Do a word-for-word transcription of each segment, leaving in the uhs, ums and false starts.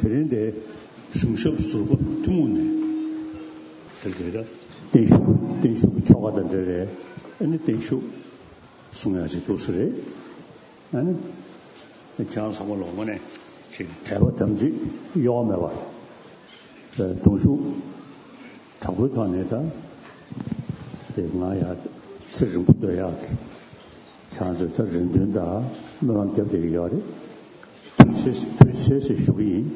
དེ་རིང་དེ་གཞུང་ཞབས་ཟུར་པ་ཐུན་མོང་ནས་དེ་དེ་ལ་བརྟན་བཞུགས་བརྟན་བཞུགས་ཀྱི་ཆོ་ག་དང་འབྲེལ་རེད། ཨ་ནི་བརྟན་བཞུགས་གསུང་ཡག་ཅིག་འདུག་ས་རེད། ཨ་ནི་ཁྱེད་རང་ཚང་མ་ལ་དངོས་གནས་ཅིག་དད་པ་དམ་ཚིག་གཡོ་བ་མེད་པར་གདུང་ཤུགས་དྲག་པོའི་ཐོག་ནས་ད་དེ་ང་ཡང་ཚེ་རིང་པོ་སྡོད་ཡག་གི་ཁྱེད་རང་ཚོས་ད་རེ་འདུན་དང་སྨོན་ལམ་རྒྱབ་བསྡད་ཀྱི་ཡོད་རེད། ཐུགས་རྗེ་ཆེ་ཐུགས་རྗེ་ཆེ་ཞེས་ཞུ་གི་ཡིན།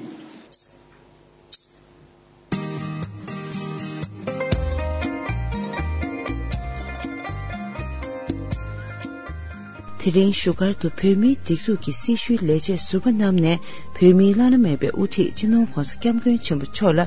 དེ་རིང་བཞུགས་སྒར་དུ་བོད་མིའི་སྒྲིག་འཛུགས་ཀྱི་སྲི་ཞུའི་ལས་བྱེད་ཟུར་པ་རྣམས་ནས་བོད་མིའི་བླ་ན་མེད་པའི་དབུ་ཁྲིད་སྤྱི་ནོར་༧གོང་ས་༧སྐྱབས་མགོན་ཆེན་པོ་མཆོག་ལ་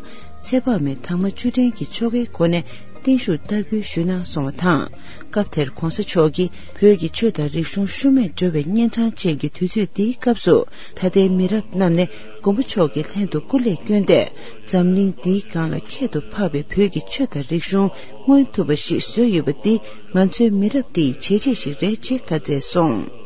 ཚེ་དཔག་མེད་དྭངས་མ་བཅུ་དྲན་གྱི་ཆོ་གའི་སྒོ་ནས་བརྟན་བཞུགས་བསྟར་འབུལ་ཞུས་གནང་སོང་བ་དང་། སྐབས་དེར་༧གོང་ས་མཆོག་གིས་བོད་ཀྱི་ཆོས་དང་རིག་གཞུང་ཤུལ་མེད་འགྲོ་བའི་གཉན་འཕྲང་ཅན་གྱི་དུས་ཚོད་འདིའི་སྐབས་སུ་ད་ལྟའི་མི་རབས་རྣམས་ནས་མགོན་པོ་མཆོག་གི་ལྷན་དུ་སྐུ་ལས་བསྐྱོན་ཏེ། འཛམ་གླིང་འདིའི་སྒང་ལ་ཁྱད་དུ་འཕགས་པའི་བོད་ཀྱི་ཆོས་དང་རིག་གཞུང་མངོན་ཐུབ་པ་ཞིག་བཟོས་ཡོད་པ་འདི་ང་ཚོའི་མི་རབས་འདིའི་བྱས་རྗེས་ཤིག་རེད་ཅེས་བཀའ་སྩལ་སོང་།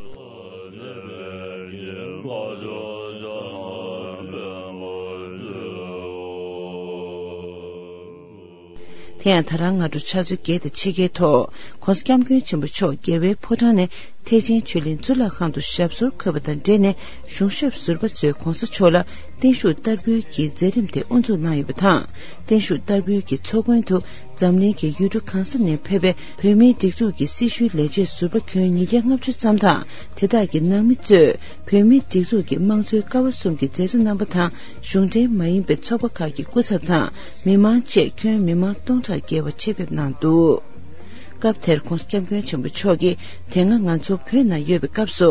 དེ་ཡང་ད་རང་སྔ་དྲོ་ཆུ་ཚོད་བརྒྱད་དང་ཕྱེད་ཀའི་ཐོག་༧གོང་ས་༧སྐྱབས་མགོན་ཆེན་པོ་མཆོག་རྒྱལ་བའི་ཕོ་བྲང་ནས་ཐེག་ཆེན་ཆོས་གླིང་གཙུག་ལག་ཁང་དུ་ཞབས་སོར་འཁོད་པ་དང་འབྲེལ་ནས་གཞུང་ཞབས་ཟུར་པ་ཚོས་༧གོང་ས་མཆོག་ལ་བརྟན་བཞུགས་བསྟར་འབུལ་གྱི་མཛད་རིམ་དེ་དབུ་འཛུགས་གནང་ཡོད་པ་དང་། བརྟན་བཞུགས་བསྟར་འབུལ་གྱི་ཚོགས་མགོན་དུ་འཛམ་གླིང་གི་ཡུལ་གྲུ་གང་ས་ནས་ཕེབས་པའི་བོད་མིའི་སྒྲིག་འཛུགས་ཀྱི་སྲི་ཞུའི་ལས་བྱེད་ཟུར་པ་ཁྱོན་ཉིས་བརྒྱ་ལྔ་བཅུ་ཙམ་དང་། དེ་དག་གི་ནང་མི་གཙོས་བོད་མིའི་སྒྲིག་འཛུགས་ཀྱི་དམངས་གཙོའི་ཀ་བ་གསུམ་གྱི་མཛད་གཙོ་རྣམ་པ་དང་གཞུང་འབྲེལ་མ་ཡིན་པའི་ཚོགས་པ་ཁག་གི་སྐུ་ཚབ་དང་མི་མང་བཅས་ཁྱོན་མི་མང་སྟོང་ཕྲག་བརྒལ་བ་ཆེད་ཕེབས་གནང་འདུག་སྐབས་དེར་༧གོང་ས་༧སྐྱབས་མགོན་ཆེན་པོ་མཆོག་གིས་དེ་སྔ་ང་ཚོ་བོད་ནང་ཡོད་པའི་སྐབས་སུ་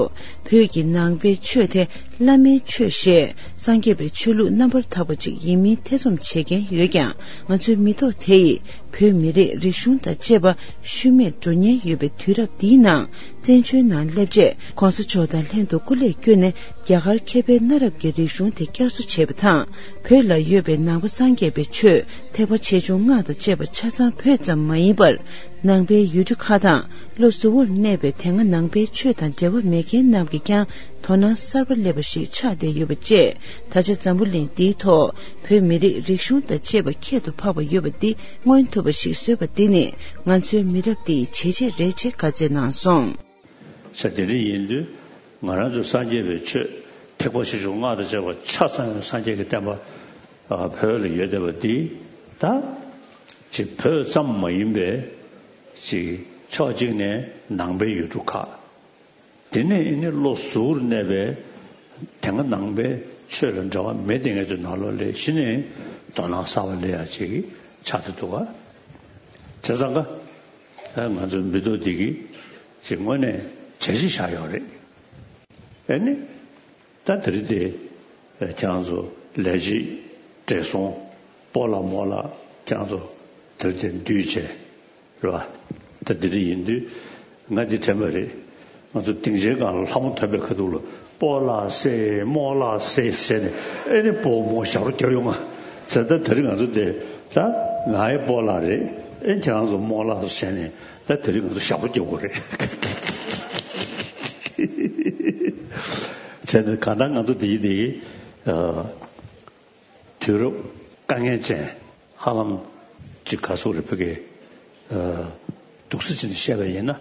བོད་ཀྱི་ནང་པའི་ཆོས་དེ་བླ་མའི་ཆོས་ཞེས་སངས་རྒྱས་པའི་ཆོས་ལུགས་རྣམ་པར་དག་པ་ཅིག་ཡིན་མིན་ཐེ་ཚོམ་བྱེད་མཁན་ཡོད་ཀྱང་ང་ཚོའི་མི་ཐོག་དེ་ཡིས་བོད་མི་རིགས་རིག་གཞུང་དང་བཅས་པ་ཤུལ་མེད་འགྲོ་ཉེན་ཡོད་པའི་དུས་རབས་འདིའི་ནང་བཙན་བྱོལ་ནང་སླེབས་རྗེས་༧གོང་ས་མཆོག་དང་ལྷན་དུ་སྐུ་ལས་བསྐྱོན་ནས་རྒྱ་གར་མཁས་པའི་གནའ་རབས་ཀྱི་རིག་གཞུང་དེ་བསྐྱར་གསོ་བྱས་པ་དང་། བོད་ལ་ཡོད་པའི་ནང་པ་སངས་རྒྱས་པའི་ཆོས་ཐེག་པ་ཆེ་ཆུང་སྔགས་དང་བཅས་པ་ཆ་ཚང་བོད་ཙམ་མ་ཡིན་པར། ནང་པའི་ཡུལ་གྲུ་ཁག་དང་ལྷོ་ཟུར་པར་གནས་པའི་དེ་སྔ་ནང་པའི་ཆོས་དང་འབྲེལ་བ་མེད་མཁན་རྣམས་ཀྱིས་ཀྱང་དོ་སྣང་གསར་པ་སླེབས་པ་ཞིག་ཆགས་བསྡད་ཡོད་པ་བཅས། ད་ཆ་འཛམ་བུ་གླིང་འདིའི་ཐོག་བོད་མི་རིགས་རིག་གཞུང་དང་བཅས་པ་ཁྱད་དུ་འཕགས་པ་ཡོད་པ་འདི་མངོན་ཐུབ་པ་ཞིག་བཟོས་པ་འདི་ནི་ང་ཚོའི་མི་རབས་འདིའི་བྱས་རྗེས་རེད་ཅེས་བཀའ་སྩལ་གནང་སོང་། ས་དེ་འདྲ་ཡིན་དུས་ང་རང་ཚོ་སངས་རྒྱས་པའི་ཆོས་ཐེག་པ་ཆེ་ཆུང་སྔགས་དང་བཅས་པ་ཆ་ཚང་སངས་རྒྱས་ཀྱི་བསྟན་པ་བོད་ལ་ཡོད་བསྡད་པ་འདི་ད་ཅིག་བོད་ཙམ་མ་ཡིན་པའི་ཅིག་ཕྱོགས་གཅིག་ནས་ནང་པའི་ཡུལ་གྲུ་ཁག་དེ་ནས་ཨ་ནི་ལྷོ་ཟུར་གནས་པའི་དེ་སྔ་ནང་པའི་ཆོས་ལ་འབྲེལ་བ་མེད་དེ་ངེད་ཚོའི་ནང་ལོགས་ལ་གཞི་ནས་དོ་སྣང་གསར་པ་སླེབས་ཡ་ཅིག་ཆགས་ཏེ་འདུག་ག་བྱས་ཙང་ཀ་ང་ཚོའི་མི་ཐོག་འདི་གིས་ཅིག་དངོས་གནས་བྱས་རྗེས་བཞག་ཡོད་རེད། ཨ་ནི་ད་དེ་རིང་དེ་ཁྱེད་རང་ཚོ་ལས་བྱེད་བགྲེས་སོང་སྤོ་ལགས་རྨོ་ལགས་ཁྱེད་རང་ཚོ་དེ་རིང་དེ་འདུས་བྱས། རེད་བ། ད་འདི་འདྲ་ཡིན་དུས་ང་འདི་དྲན་པ་རེད། ང་ཚོ་སྡིངས་ཆའི་སྒང་ལ་ལྷ་མོ་འཐོན་པའི་ཁ་ཐུག་ལ་སྤོ་ལགས་སེ་རྨོ་ལགས་སེ་ཟེར་ནས་ཨེ་ནི་སྤོ་རྨོ་ཞབས་བྲོ་རྒྱབ་ཡོང་ང་ཟེར། ད་དེ་རིང་ང་ཚོ་དེ་ད་ང་ཡི་སྤོ་ལགས་རེད། ཨེ་ཁྱེད་རང་ཚོ་རྨོ་ལགས་སོ་བྱས་ནས་ད་དེ་རིང་ང་ཚོ་ཞབས་བྲོ་རྒྱབ་དགོས་རེད། བྱས་ནས་གང་ལྟར་ང་ཚོ་དེ་ཡི་དེ་ཡི། དུས་རབས་དཀའ་ངལ་ཅན་ཧ་ལམ་ཅིག་ག་སོགས་རེ་ཕ་གི་སྡུག་ས་ཅིག་ནས་བཤད་པ་ཡིན་ན་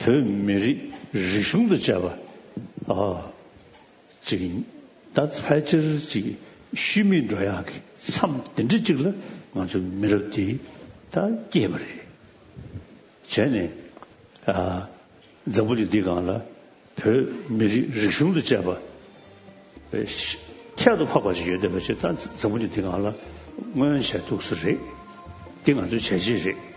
བོད་མི་རིགས་རིག་གཞུང་དང་བཅས་པ་ཨ་ཅིག་ད་ཕལ་ཆེར་ཅིག་ཤུལ་མེད་འགྲོ་ཡག་གི་མཚམས་དེ་འདྲ་ཅིག་ལ་ང་ཚོའི་མི་རབས་འདི་ད་སྐྱེས་པ་རེད། བྱས་ནས་ཨ་འཛམ་བུ་གླིང་འདིའི་སྒང་ལ་བོད་མི་རིགས་རིག་གཞུང་དང་བཅས་པ་ཁྱད་དུ་འཕགས་པ་ཞིག་ཡོད་བསྡད་པ་ཞིག་ད་འཛམ་བུ་གླིང་འདིའི་སྒང་ལ་མངོན་བྱས་འདུག་ས་རེད། འདི་ང་ཚོའི་བྱས་རྗེས་རེད།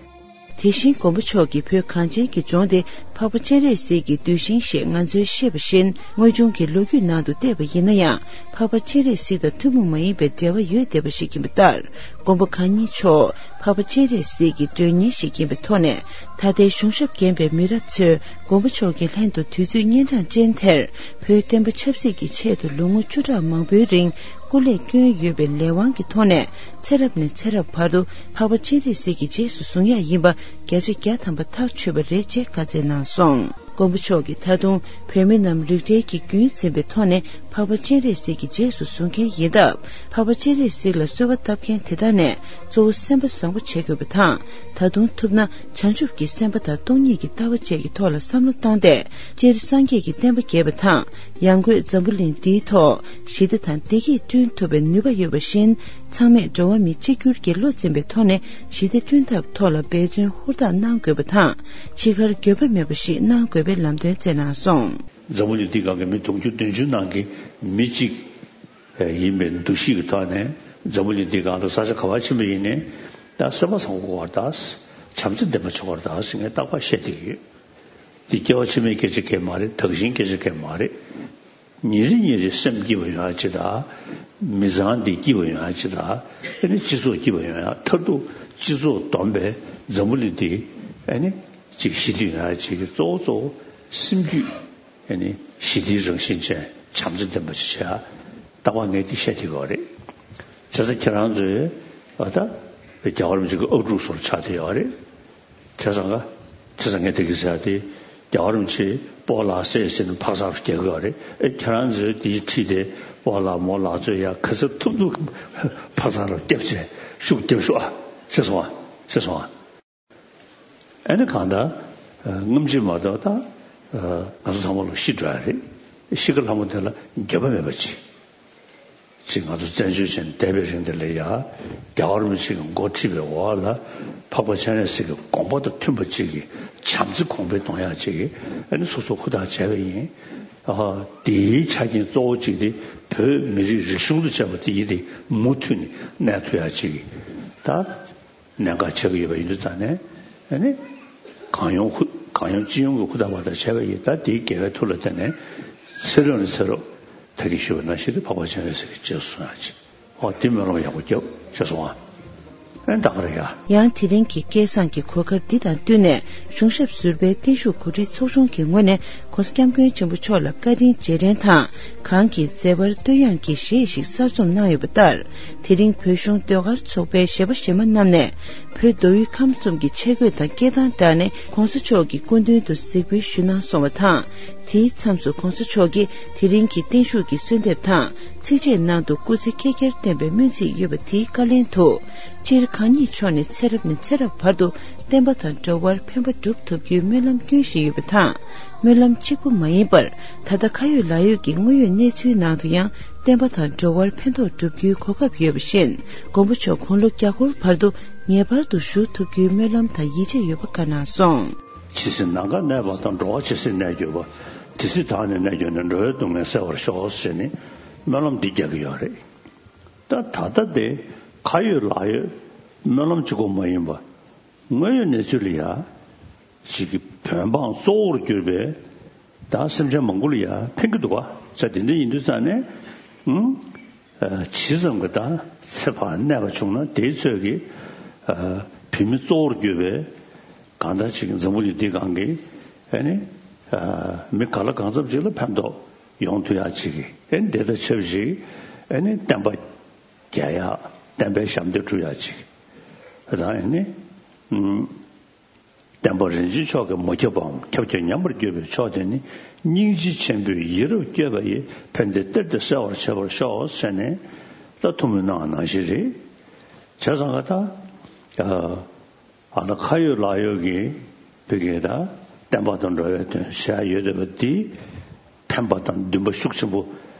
དེ་བཞིན་མགོན་པོ་མཆོག་གིས་བོད་གངས་ཅན་གྱི་ལྗོངས་དེ་འཕགས་པ་སྤྱན་རས་གཟིགས་ཀྱི་གདུལ་ཞིང་ཞེས་ང་ཚོས་ཤེས་པ་བཞིན་དངོས་བྱུང་གི་ལོ་རྒྱུས་ནང་དུ་བལྟས་པ་ཡིན་ན་ཡང་འཕགས་པ་སྤྱན་རས་གཟིགས་དང་ཐུན་མོང་མ་ཡིན་པའི་འབྲེལ་བ་ཡོད་བསྡད་པ་ཞིག་ཡིན་པ་ལྟར། མགོན་པོ་གང་ཉིད་མཆོག་འཕགས་པ་སྤྱན་རས་གཟིགས་ཀྱི་མགྲོན་གཉེར་ཞིག་ཡིན་པའི་ཐོག་ནས་ད་ལྟའི་གཞུང་ཞབས་རྒན་པའི་མི་རབས་ཚོས་མགོན་པོ་མཆོག་གི་ལྷན་དུ་དུས་ཚོད་གཉན་འཕྲང་ཅན་དེར་བོད་བསྟན་པ་ཆབ་སྲིད་ཀྱི་ཆེད་དུ་ལོ་ངོ་བཅུ་ཕྲག་མང་པོའི་རིང་སྐུ་ལས་བསྐྱོན་ཡོད་པའི་ལས་དབང་གི་ཐོག་ནས་ཚེ་རབས་ནས་ཚེ་རབས་བར་དུ་འཕགས་པ་སྤྱན་རས་གཟིགས་ཀྱི་རྗེས་སུ་བཟུང་ཡག་ཡིན་པ་བརྒྱ་ཆ་བརྒྱ་ཐམ་པ་ཐག་ཆོད་པ་རེད་ཅེས་བཀའ་སྩལ་གནང་སོང་། མགོན་པོ་མཆོག་གིས་ད་དུང་བོད་མི་རྣམས་རིགས་འདྲའི་གི་རྒྱུན་འཛིན་པའི་ཐོག་ནས་འཕགས་པ་སྤྱན་རས་གཟིགས་ཀྱི་རྗེས་སུ་བཟུང་མཁན་ཡིན་སྟབས། འཕགས་པ་སྤྱན་རས་གཟིགས་ལ་གསོལ་བ་བཏབ་མཁན་དེ་དག་ནས་གཙོ་བོ་སེམས་པ་བཟང་པོ་བྱེད་དགོས་པ་དང་། ད་དུང་ཐུབ་ན་བྱང་ཆུབ་ཀྱི་སེམས་པ་དང་སྟོང་ཉིད་ཀྱི་ལྟ་བ་བཅས་ཀྱི་ཐོག་ལ་བསམ་བློ་བཏང་སྟེ། སྤྱིར་སངས་རྒྱས་ཀྱི་བསྟན་པ་རྒྱས་པ་དང་། ཡང་སྒོས་འཛམ་བུ་གླིང་འདིའི་ཐོག་ཞི་བདེ་དང་བདེ་སྐྱིད་བསྐྲུན་ཐུབ་པའི་ནུས་པ་ཡོད་པ་བཞིན། ཚང་མས་འགྲོ་བ་མི་གཅིག་གྱུར་གྱི་བློ་འཛིན་པའི་ཐོག་ནས་ཞི་བདེ་བསྐྲུན་ཐབས་ཐོག་ལ་འབད་བརྩོན་ཧུར་ཐག་གནང་དགོས་པ་དང་། འཆི་ཁར་འགྱོད་པ་མེད་པ་ཞིག་གནང་དགོས་པའི་ལམ་སྟོན་བསྩལ་གནང་སོང་། འཛམ་བུ་གླིང་འདིའི་སྒང་གི་མི་དུང་ཕྱུར་བདུན་ཅུ་ནང་གི་མི་གཅིག་ཡིན་པའི་འདུ་ཤེས་ཀྱི་ཐོག་ནས། འཛམ་བུ་གླིང་འདིའི་སྒང་ལ་ས་ཆ་ག་པར་ཕྱིན་པ་ཡིན་ནའི། ད་སེམས་པ་བཟང་པོ་དགོས་པར་གདའ། བྱམས་བརྩེ་ལྡན་པ་བྱེད་དགོས་པར་གདའ་ཟེར་ངས་རྟག་པར་བཤད་བསྡད་ཀྱི་ཡོད། འདི་སྐྱེ་བ་ཕྱི་མའི་སྐད་ཆ་གང་ཡང་མ་རེད། དག་ཞིང་སྐད་ཆ་གང་ཡང་མ་རེད། ཉིན་རེ་ཉིན་རེ་སེམས་སྐྱིད་པ་ཡོང་ཡ་ཅིག་དང་། མི་ཚང་འདི་སྐྱིད་པ་ཡོང་ཡ་ཅིག་དང་། ཨ་ནི་སྤྱི་ཚོགས་སྐྱིད་པ་ཡོང་ཡ། མཐར་ཐུག་སྤྱི་ཚོགས་བསྡོམས་པས་འཛམ་བུ་གླིང་འདི་ཨ་ནི་ཅིག་ཞི་བདེ་ཡོང་ཡ་ཅིག་གི་གཙོ་བོ་གཙོ་བོ་སེམས་རྒྱུད་ཨ་ནི་ཞི་བདེའི་རང་བཞིན་ཅན་བྱམས་བརྩེ་ལྡན་པ་ཅིག་བྱེད་ཡ། རྟག་པར་ངས་འདི་བཤད་བསྡད་ཀྱི་ཡོད་རེད། བྱས་ཙང་ཁྱེད་རང་ཚོས་ཨ་ད་རྒྱལ་བ་རིན་པོ་ཆེ་གི་ཨབ་ཕྲུག་ཚོར་ཆགས་བསྡད་ཡོད་རེད། བྱས་ཙང་ག་བྱས་ཙང་ངས་དེ་གི་ཟེར་ཡ་དེ། རྒྱལ་བ་རིན་པོ་ཆེས་སྤོ་ལགས་སེ་ཟེར་ནས་འཕག་འཚག་རྒྱག་གི་ཡོད་རེད། ཨེ་ཁྱེད་རང་ཚོས་དེའི་འཁྲིས་དེ་སྤོ་ལགས་མོ་ལགས་ཚོས་ཡ་ག་ཚོད་ཐུབ་ཐུབ་འཕག་འཚག་རོགས་རྒྱབ་བྱས་ཤུགས་རྒྱབ་ཤོག་ཨ། ཤེས་སོང་ཨ། ཤེས་སོང་ཨ། ཨ་ནི་གང་ལྟར་སྔ་ཕྱི་མ་གཏོགས་ད་ང་ཚོ་ཚང་མ་ལོ་ཤི་འགྲོ་ཡ་རེད། ཤི་ཁ་ལྷ་མོ་དེ་ལ་འགྱོད་པ་མེད་པ་ཅིག་ཅིག་ང་ཚོ་བཙན་བྱོལ་ཅན་བསྡད་པའི་རིང་དེ་ལ་ཡ། རྒྱལ་བ་རིན་པོ་ཆེ་གི་འགོ་ཁྲིད་པའི་འོག་ལ་འཕགས་པ་སྤྱན་རས་གཟིགས་ཀྱི་དགོངས་པ་དང་མཐུན་པ་ཅིག་གི་བྱམས་བརྩེ་གོང་འཕེལ་གཏོང་ཡག་ཅིག་གི་ཨ་ནི་སོ་སོ་ཧུར་ཐག་བྱས་པ་ཡིན། ཨ་དེའི་ཆ་རྐྱེན་གཙོ་བོ་གཅིག་དེ་བོད་མི་རིགས་རིག་གཞུང་དང་བཅས་པ་དེ་ཡིན་ཏེ་མུ་མཐུད་ནས་གནས་ཐུབ་ཡག་ཅིག་གི་ད་གནད་འགག་ཆགས་ཀྱི་ཡོད་པ་ཡིན་དུས་ཙང་ནས། ཨ་ནི་གང་ཡོང་ཧུ་གང་ཡོང་ཅི་ཡོང་གི་ཧུར་ཐག་བར་ཐག་བྱས་པ་ཡིན། ད་དེའི་དགེ་བའི་མཐུ་ལ་བརྟེན་ནས་ཚེ་རབས་ནས་ཚེ་རབས་ད་གིན་ཞུས་པ་ནང་བཞིན་དུ་འཕགས་པ་སྤྱན་རས་གཟིགས་ཀྱི་རྗེས་སུ་བཟུང་ཡག་ཅིག་ཨོ་དེ་སྨོན་ལམ་ཡག་པོ་རྒྱབ་ཅེས་སོང་ཨ། ཨེ་ད་ག་རེད་ཡ། ཡང་དེ་རིང་གི་སྐལ་བཟང་གི་གོ་སྐབས་འདི་དང་བསྟུན་ནས་གཞུང་ཞབས་ཟུར་པའི་བརྟན་བཞུགས་གོ་སྒྲིག་ཚོགས་ཆུང་གི་ངོས་ནས་༸གོང་ས་༸སྐྱབས་མགོན་ཆེན་པོ་མཆོག་ལ་བཀའ་དྲིན་རྗེས་དྲན་དང་། གང་གི་མཛད་པར་བསྟོད་དབྱངས་ཀྱི་གཞས་ཤིག་གསར་རྩོམ་གནང་ཡོད་པ་ལྟར། དེ་རིང་བོད་གཞུང་ཟློས་གར་ཚོགས་པའི་གཞས་པ་གཞས་མ་རྣམས་ནས་བོད་མདོ་དབུས་ཁམས་གསུམ་གྱི་ཆས་གོས་དང་སྐད་གདངས་སྦྲགས་ནས་༸གོང་ས་མཆོག་གི་སྐུ་མདུན་དུ་གཟིགས་འབུལ་ཞུ་གནང་སོང་བ་དང་། དེའི་མཚམས་སུ་༸གོང་ས་མཆོག་གིས་དེ་རིང་གི་བརྟན་བཞུགས་ཀྱི་གསོལ་འདེབས་དང་། ཚིགས་བཅད་ནང་དུ་སྐུ་ཚེ་བསྐལ་བརྒྱར་བརྟན་པའི་སྨོན་ཚིག་ཡོད་པ་དེའི་བཀའ་ལན་དུ། སྤྱིར་གང་ཉིད་མཆོག་ནས་ཚེ་རབས་ནས་ཚེ་རབས་བར་དུ་བསྟན་པ་དང་འགྲོ་བར་ཕན་པ་སྒྲུབ་ཐུབ་རྒྱུའི་སྨོན་ལམ་སྐྱོན་བཞིན་ཡོད་པ་དང་། སྨོན་ལམ་གཅིག་པུ་མ་ཡིན་པར། ད་ལྟ་ཁ་ཡོད་ལག་ཡོད་ཀྱི་དངོས་ཡོད་གནས་ཚུལ་ནང་དུ་ཡང་བསྟན་པ་དང་འགྲོ་བར་ཕན་ཐོགས་སྒྲུབ་རྒྱུའི་གོ་སྐབས་ཡོད་པ་བཞིན། མགོན་པོ་མཆོག་དགུང་ལོ་བརྒྱ་སྐོར་བར་དུ་ངེས་པར་དུ་བཞུགས་ཐུབ་རྒྱུའི་སྨོན་ལམ་དང་ཡིད་ཆེས་ཡོད་པ་བཀའ་གནང་སོང་། ཇི་སྲིད་ནམ་མཁའ་གནས་པ་དང་། འགྲོ་བ་ཇི་སྲིད་གནས་གྱུར་པ། དེ་སྲིད་བདག་ནི་གནས་གྱུར་ནས། འགྲོ་བའི་སྡུག་བསྔལ་སེལ་བར་ཤོག་ཟེར་ནས་སྨོན་ལམ་འདི་རྒྱག་གི་ཡོད་རེད། ད་ད་ལྟ་དེ་ཁ་ཡོད་ལག་ཡོད་སྨོན་ལམ་གཅིག་པོ་མ་ཡིན་པ། དངོས་ཡོད་གནས་ཚུལ་ལ་ཡ། ཅིག་གི་བོད་འབངས་གཙོ་བོར་གྱུར་པའི་ད་སེམས་ཅན་མང་པོ་ལ་ཡ་ཕན་གྱི་འདུག་ག་ས་དེ་འདྲ་ཡིན་དུས་ཙང་ནས། ཨང་། ཇི་ཙམ་གྱི་ད་ཚེ་ཕར་གནས་པ་བྱུང་ན་དེའི་ཚོད་ཀྱི་བོད་མི་གཙོ་བོར་གྱུར་པའི་གང་ལྟར་ཅིག་འཛམ་བུ་གླིང་འདི་སྒང་གི་ཨ་ནི་མི་ག་ལ་གང་འཚམ་ཅིག་ལ་ཕན་ཐོགས་ཡོང་ཐུབ་ཡག་ཅིག་གི་ཨ་ནི་དེ་དང་ཆབས་ཅིག་ཨ་ནི་བསྟན་པ་རྒྱས་ཡག་བསྟན་པའི་ཞབས་འདེགས་སྒྲུབ་ཡག་ཅིག་དང་ཨ་ནི། བསྟན་པ་རིན་ཆེན་མཆོག་གིས་མ་ཁྱབ་པའམ། ཁྱབ་ཀྱང་ཉམས་པར་གྱུར་པའི་མཆོག་དེ་ནི། སྙིང་རྗེ་ཆེན་པོས་ཡིད་རབ་བསྐྱོད་པ་ཡིས། ཕན་བདེ་གཏེར་དུ་གསལ་བར་བྱེད་པར་ཤོག་ཟེར་ནས་ད་ཐུགས་སྨོན་གནང་བ་ནང་བཞིན་རེད། བྱས་ཙང་ག་ད་ཨ་ད་ཁ་ཡོད་ལག་ཡོད་ཀྱི་བོད་ཀྱི་ད་བསྟན་པ་དང་འགྲོ་བའི་དོན་བྱ་ཡ་ཡོད་བསྡད་པ་འདི། ཕན་པ་དང་འདུན་པ་ཤུགས་ཆེན་པོ་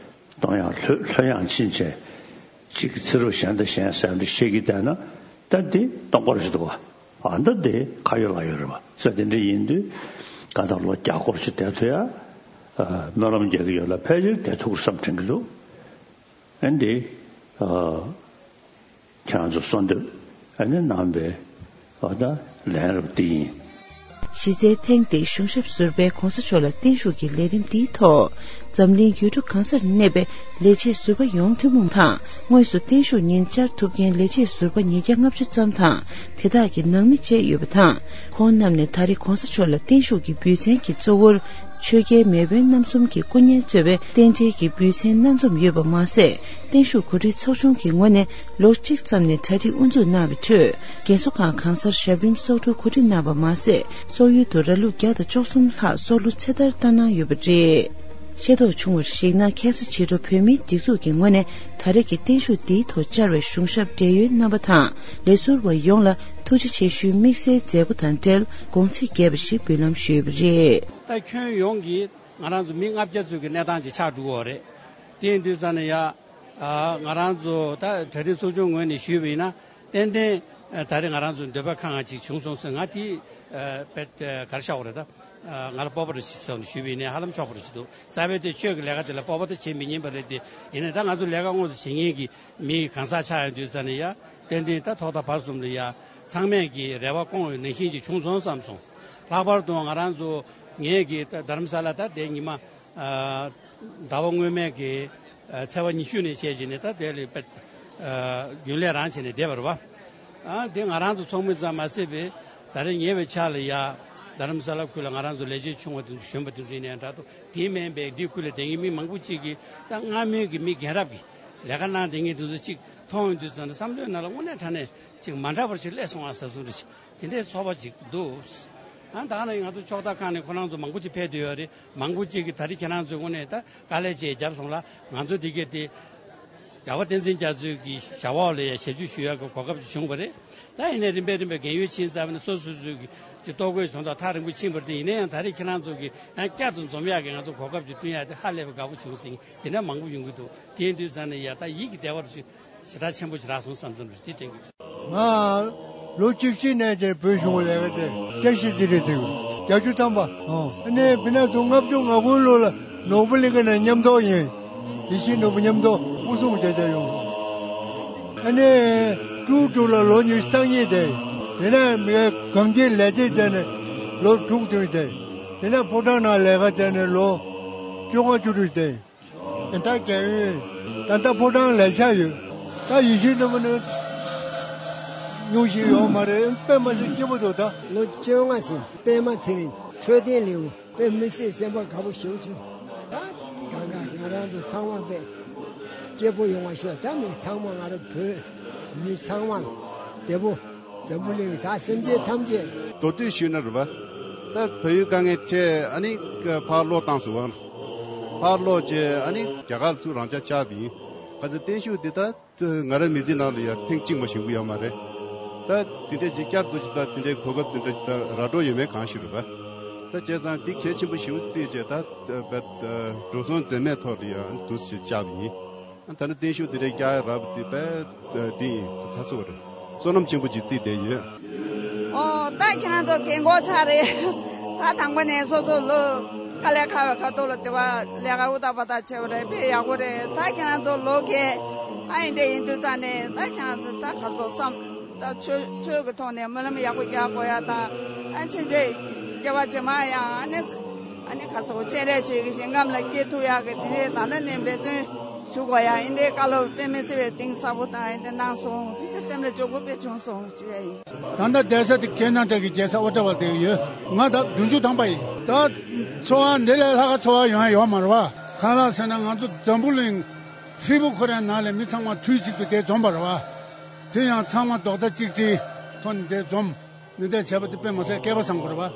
གཏོང་ཡག་ལྷོད་ལྷོད་ཡངས་ཕྱིན་ཆད་ཅིག་གི་ཚེ་རབས་གཞན་དང་གཞན་ཟེར་འདི་ཤེས་ཀྱི་བསྡད་ན་ད་འདི་སྟོང་པར་ཞིག་འདུག་བ། ཨ་ད་འདི་ཁ་ཡོད་ལག་ཡོད་རེད་བ། ས་དེ་འདྲ་ཡིན་དུས་གང་ལྟར་ལོ་བརྒྱ་སྐོར་ཞིག་བསྡད་ཐུབ་ཡ། སྨོན་ལམ་རྒྱག་གི་ཡོད་ལ་ཕལ་ཆེར་བསྡད་ཐུབ་ཀྱི་བསམ་དྲན་གྱི་འདུག་ཨ་འདི། ཁྱེད་རང་ཚོ་གསོལ་འདེབས་ཨ་ནི་གནང་བའི་ཨ་ད་ལན་རབ་འདི་ཡིན། གཞི་རྩའི་ཐེངས་འདིའི་གཞུང་ཞབས་ཟུར་པས་གོང་ས་མཆོག་ལ་བརྟན་བཞུགས་ཀྱི་ལས་རིམ་འདིའི་ཐོག་འཛམ་གླིང་ཡུལ་གྲུ་གང་སར་གནས་པའི་ལས་བྱེད་ཟུར་པ་ཡོངས་ཐུན་མོང་དང་། དངོས་སུ་བརྟན་བཞུགས་ཉིན་བཅར་ཐུབ་མཁན་ལས་བྱེད་ཟུར་པ་ཉིས་བརྒྱ་ལྔ་བཅུ་ཙམ་དང་། དེ་དག་གི་ནང་མི་བཅས་ཡོད་པ་དང་། ཁོང་རྣམས་ནས་ད་རེས་གོང་ས་མཆོག་ལ་བརྟན་བཞུགས་ཀྱི་འབུལ་ཚན་གྱི་གཙོ་བོར། ཆོས་རྒྱལ་མེས་དབོན་རྣམ་གསུམ་གྱི་སྐུ་བརྙན་གཙོས་པའི་རྟེན་འབྲེལ་གྱི་འབུལ་ཚན་སྣ་འཛོམས་ཡོད་པ་མ་ཟད། བརྟན་བཞུགས་གོ་སྒྲིག་ཚོགས་ཆུང་གི་ངོས་ནས་ལོ་གཅིག་ཙམ་ནས་གྲ་སྒྲིག་དབུ་འཛུགས་གནང་བའི་ཁྲོད། རྒན་གསོ་ཁང་གང་སར་ཞབས་རིམ་སོག་གྲུ་གོ་སྒྲིག་གནང་བ་མ་ཟད། སོག་ཡུལ་དུ་ར་ལུག་བརྒྱ་དང་བཅུ་གསུམ་ལྷག་སོག་ལུ་ཚེ་ཐར་བསྟར་གནང་ཡོད་པ་རེད། ཤེས་རྟོགས་བྱུང་བར་གཞིགས་ན། ཁ་སང་ཕྱི་དྲོ་བོད་མིའི་སྒྲིག་འཛུགས་ཀྱི་ངོས་ནས་ད་རེས་ཀྱི་བརྟན་བཞུགས་འདིའི་ཐོག་བཅར་བའི་གཞུང་ཞབས་བགྲེས་ཡོལ་རྣམ་པ་དང་ལས་ཟུར་བ་ཡོངས་ལ་ཐུགས་རྗེ་ཆེ་ཞུའི་དམིགས་བསལ་མཛད་སྒོ་དང་འབྲེལ་དགོངས་ཚིག་རྒྱས་པ་ཞིག་འབུལ་ལམ་ཞུས་པ་རེད། ད་ཁྱོན་ཡོངས་ཀྱི་ང་རང་ཚོ་མི་ལྔ་བརྒྱ་ཙམ་གྱི་གནས་སྟངས་ཅིག་ཆགས་འགྲོ་གི་ཡོད་རེད། དེ་ཡིན་དུས་ཙང་ནས་ཡ། ཨ། ང་རང་ཚོ་ད་གྲ་སྒྲིག་ཚོགས་ཆུང་ངོས་ནས་ཞུས་པ་ཡིན་ན། ཏན་ཏན་ཨ་ད་རེས་ང་རང་ཚོ་འདོད་པ་ཁེངས་ཡ་ཅིག་བྱུང་སོང་ཟེར། ང་དེ་ཨ་དཔེ་ཨ་ག་རེ་ཆགས་པ་རེད། ད་ཨ་ང་ལ་སྤོབས་པ་རེ་ཞིག་ཐོག་ནས་ཞུས་པ་ཡིན་ནའི་ཧ་ལམ་ཆོག་པ་རེ་ཞིག་འདུག་རྩ་བའི་དེ་ཆོས་ཀྱི་ལས་ཀ་དེ་ལ་སྤོབས་པ་ད་བྱེད་མི་ཉན་པ་རེད་དེ། ཡིན་ནའི་ད་ང་ཚོ་ལས་ཀ་དངོས་སུ་བྱེད་མཁན་གྱི་མི་གང་ཟག་ཆགས་ཡོང་དུས་ཙང་ནས་ཡ། ཏན་ཏན་ད་ཐོག་མཐའ་བར་གསུམ་ལ་ཡ་ཚང་མས་ཀྱི་རེ་བ་སྐོང་བའི་ནང་བཞིན་ཅིག་བྱུང་སོང་བསམ་སོང་། ལྷག་པར་དུ་ང་རང་ཚོ་ངས་ཀྱི་ད་རྡ་རམ་ས་ལ་ད་དེ་ཉི་མ། ཨ་ཟླ་བ་སྔོན་མའི་གི་ཨ་ཚེས་པ་ཉི་ཤུ་ནས་བྱས་བྱས་ནས་ད་དེ་ལ་དཔེ་ཨ་རྒྱུན་ལས་རང་བྱས་ནས་བསྡད་པ་རེད་པ། ཨ་དེ་ང་རང་ཚོ་ཚོགས་མི་ཙམ་མ་ཟད་པའི་ད་རེས་ཉེ་བའི་ཆར་ལ་ཡ་རྡ་རམ་ས་ལ་ཁུལ་ལ་ང་རང་ཚོ་ལས་བྱེད་ཆུང་བ་དེ་ཚོ་གཞོན་པ་དེ་ཚོ་ཡིན་ནའི་འདྲ་འདུག་དེ་མིན་པའི་འདི་ཁུལ་ལ་བསྡད་མཁན་མི་མང་པོ་ཅིག་གིས་ད་སྔ་མོའི་གི་མི་རྒན་རབས་ཀྱི་ལས་ཀ་གནང་བསྡད་མཁན་དེ་ཚོ་ཅིག་མཐོང་ཡོང་དུས་ཙང་ནས་བསམ་བློའི་ནང་ལ་དངོས་གནས་དྲང་གནས་ཅིག་མ་འདྲ་བ་ཅིག་སླེབས་སོང་ཨ་ཟེར་ཚུལ་འདྲ་ཅིག་དེ་འདྲའི་ཚོར་བ་ཅིག་འདུག་ཨ་ད་ནི་ང་ཚོ་ཕྱོགས་མཐའ་ཁག་ནས་ཁོ་རང་ཚོ་མང་པོ་ཅིག་ཕེབས་བསྡད་ཡོད་རེད། མང་པོ་ཅིག་གིས་ད་རེས་ཁྱེད་རང་ཚོའི་ངོས་ནས་ད་དཀའ་ལས་ཅིག་བརྒྱབ་སོང་ལ། ང་ཚོ་འདི་གས་དེ་རྒྱལ་བ་བསྟན་འཛིན་རྒྱ་མཚོའི་གི་ཞབས་འོག་ལ་ཡ་ཞབས་ཞུ་ཞུ་ཡག་གི་གོ་སྐབས་ཅིག་བྱུང་བ་རེད། ད་ཡིན་ནའི་རིམ་པས་རིམ་པས་རྒན་ཡོལ་ཕྱིན་ཚར་བ་ནས་སོ་སོ་སོའི་གི་ཅིག་ལྟོ་གོས་དོན་དག་ཐག་རིང་པོ་ཕྱིན་པ་རེད་དེ། ཡིན་ན་ཡང་ད་རེས་ཁྱེད་རང་ཚོ་གི་ཡང་བསྐྱར་དུ་འཛོམས་ཡག་གི་ང་ཚོ་གོ་སྐབས་ཅིག་བསྐྲུན་ཡག་དེ་ཧ་ལས་པའི་དགའ་པོ་བྱུང་ཟིན། དེ་འདྲ་མང་པོ་ཡོང་གི་འདུག་དེ་ཡིན་དུས་ཙང་ནས་ཡ་ད་ཡིད་ཀྱི་བདེ་བ་རུ་ཞིག་ཞེ་དྲག་ཆེན་པོ་ཞིག་རག་སོང་བསམ་དོན་རེ་འདི་དྲན་གྱི། ང་ལོ་བཅུ་བཞི་ནས་དེར་བོད་གཞུང་ལས་ཀ་དེ་བསྐྱར་ཞིབ་ལྟེ་གནས་དེ་བརྒྱད་ཅུ་ཐམ་པ། ཨོ་ཨ་ནི་བི་ན་དུ་ལྔ་བཅུ་ང་དགུ་ལོ་ལ་ནོར་བུ་གླིང་ག་ནས་མཉམ་གཏོགས་ཡིན། ཡེ་ཤེས་ནོར་བུ་མཉམ་གཏོགས་སྐུ་སྲུང་དེ་དེ་ཡོང་། ཨ་ནི་ཀྲུའུ་ཀྲུའུ་ལ་ལོ་ཉི་ཤུ་རྩ་གཉིས་དེ། དེ་ནས་མི་གངས་སྐྱིད་ལས་དེ་དེ་ནས་ལོ་དྲུག་བདུན་དེ། དེ་ནས་ཕོ་བྲང་ནང་ལས་ཀ་དེ་ནས་ལོ་བཅོ་ལྔ་བཅུ་དྲུག་དེ། ད་རྒན་ཡོལ། ད་ལྟ་ཕོ་བྲང་ལས་བྱ་ཡོད། ད་ཡེ་ཤེས་ནོར་བུ་ནི་ཉུང་ཞིག་ཡོད་མ་རེད། དཔེ་མ་སྲིད་སྐྱིད་པོ་འདུག་ད་ལོ་བཅོ་ལྔ་ཕྱིན། པད་མ་ཚེ་རིང་། འཕྲོད་བསྟེན་ལེའུ། དཔེ་མི་སྲིད་སེམས་པ་དགའ་པོ་ཞེ་པོ་བྱུང་། ད་གང་ག་ང་རང་ཚོ་ཚང་མ་དཔེ་སྐྱིད་པོ་ཡོང་བ་ཤོག་ད་མི་ཚང་མ་ང་རང་བོད་མི་ཚང་མ་ལ་བདེ་པོ། འཛམ་བུ་གླིང་ད་སེམས་ཅན་ཐམས་ཅད། མདོར་བསྡུས་ཞུས་ན་རེད་པ། ད་བལ་ཡུལ་དཀའ་ངལ་འཕྲད་ཨ་ནི་ཕར་ལོག་བཏང་སོང་བ། ཕར་ལོག་བྱས་ཨ་ནི་རྒྱ་གར་ཚུར་རང་འཇགས་བཅར་བ་ཡིན། ག་ཚོད་བརྟན་བཞུགས་འདི་ད་ང་རང་མི་ཚེ་ནང་ལ་ཡང་ཐེངས་གཅིག་མ་བྱུང་གི་ཡོད་མ་རེད། ད་དེ་འདྲས་ཅིག་བསྐྱར་དུ་ཅིག་ད་དེ་འདྲས་གོ་སྐབས་དེ་འདྲས་ཅིག་ད་རག་འགྲོ་ཡོད་མེད་གང་ཤེས་རེད་པ། ད་བྱས་ཙང་འདི་གལ་ཆེན་པོ་ཞེ་པོ་བརྩིས་བྱས་ད་འགྲོ་སོང་འཛེམས་མེད་ཐོག་ལ་ཡང་འདུག་སེ་བཅར་བ་ཡིན། ད་ནི་བརྟན་བཞུགས་འདི་འདྲའི་བསྐྱར་རག་པ་དེ་དཔེ་འདི་ཡིན། ད་ཚ་སོ་རེད། བསོད་ནམས་ཆེན་པོ་ཅིག་བརྩིས་བསྡད་ཡོད། ཨོ་ད་ཁྱེད་རང་ཚོ་རྒན་གོག་ཆགས་རེད། ད་དང་པོ་ནས་སོ་སོ་ལོ་དཀའ་ལས་ཁག་པའི་ཁ་ཐོག་ལ་དེ་བ་ལས་ཀ་ཨུ་ཏག་པ་ཏག་བྱས་པ་རེད། དཔེ་ཡག་པོ་རེད། ད་ཁྱེད་རང་ཚོ་ལོ་རྒས་ཨ་ཡིན་འདྲ་ཡིན་དུས་ཙང་ནས་ད་ཁྱེད་རང་ཚོ་ད་ག་ཚོད་བསམ། ད་ཆོས་ཆོས་ཀྱི་ཐོག་ནས་སྨོན་ལམ་ཡག་པོ་རྒྱག་དགོས་ཡ་དང་། ཨ་ཕྱིན་ཆད་སྐྱེ་བ་རྗེས་མ་ཡང་ཨ་ནི་ཨ་ནི་ག་ཚོད་སྤྱན་རས་གཟིགས་ཀྱི་ཞིང་ཁམས་ལ་སྐྱེ་ཐུབ་ཡག་གི་དེ་རེད། ད་ལྟ་ནས་འབད་བརྩོན་ཞུ་དགོས་ཡ། ཨིན་འདྲའི་བཀའ་སློབ་དཔེ་མི་སྲིད་པའི་གཏིང་ཟབ་པོ་དང་ཨིན་འདྲ་གནང་སོང་། དེ་སེམས་ལ་འཇུག་པོ་དཔེ་བྱུང་སོང་ཞུ་ཡ་ཡིན། ད་ལྟ་བསྡད་ས་དེ་ཁྱེད་རྣམ་གྲས་ཀྱི་མཇལ་ས་ཨོ་ཊ་ཝར་དེ་ཡོད། ང་ད་བདུན་ཅུ་ཐམ་པ་ཡིན། ད་འཚོ་བ་འདི་ལས་ལྷག་ག་འཚོ་བ་ཡོང་ཡ་ཡོད་མ་རེད་བ། གང་ལགས་ཟེར་ན་ང་ཚོ་འཛམ་བུ་གླིང་ཧྲིལ་པོ་ཁོ་རའི་ནང་ལས་མི་ཚང་མ་དུས་གཅིག་ཏུ་དེ་འཛོམས་པ་རེད་བ། དེ་ཡང་ཚང་མ་རྡོག་རྩ་གཅིག་སྒྲིལ་ཐོག་ནས་དེ་འཛོམས་ནས་དེ་བྱས་པ་དེ་དཔེ་མ་ཚད་སྐལ་པ་བཟང་པོ་རེད་བ།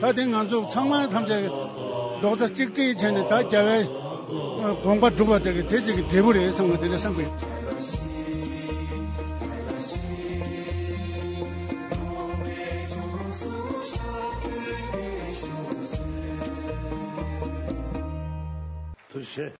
ད་དེ་ང་ཚོ་ཚང་མ་ཐམས་ཅད་རྡོག་རྩ་གཅིག་སྒྲིལ་བྱས་ནས་ད་རྒྱལ་བའི་དགོངས་པ་སྒྲུབ་པ་དེ་གི་དེ་གཅིག་གི་འབྲས་བུ་རེད་བསམ་པ་དེ་འདྲ་བསམ་གི་ཡོད།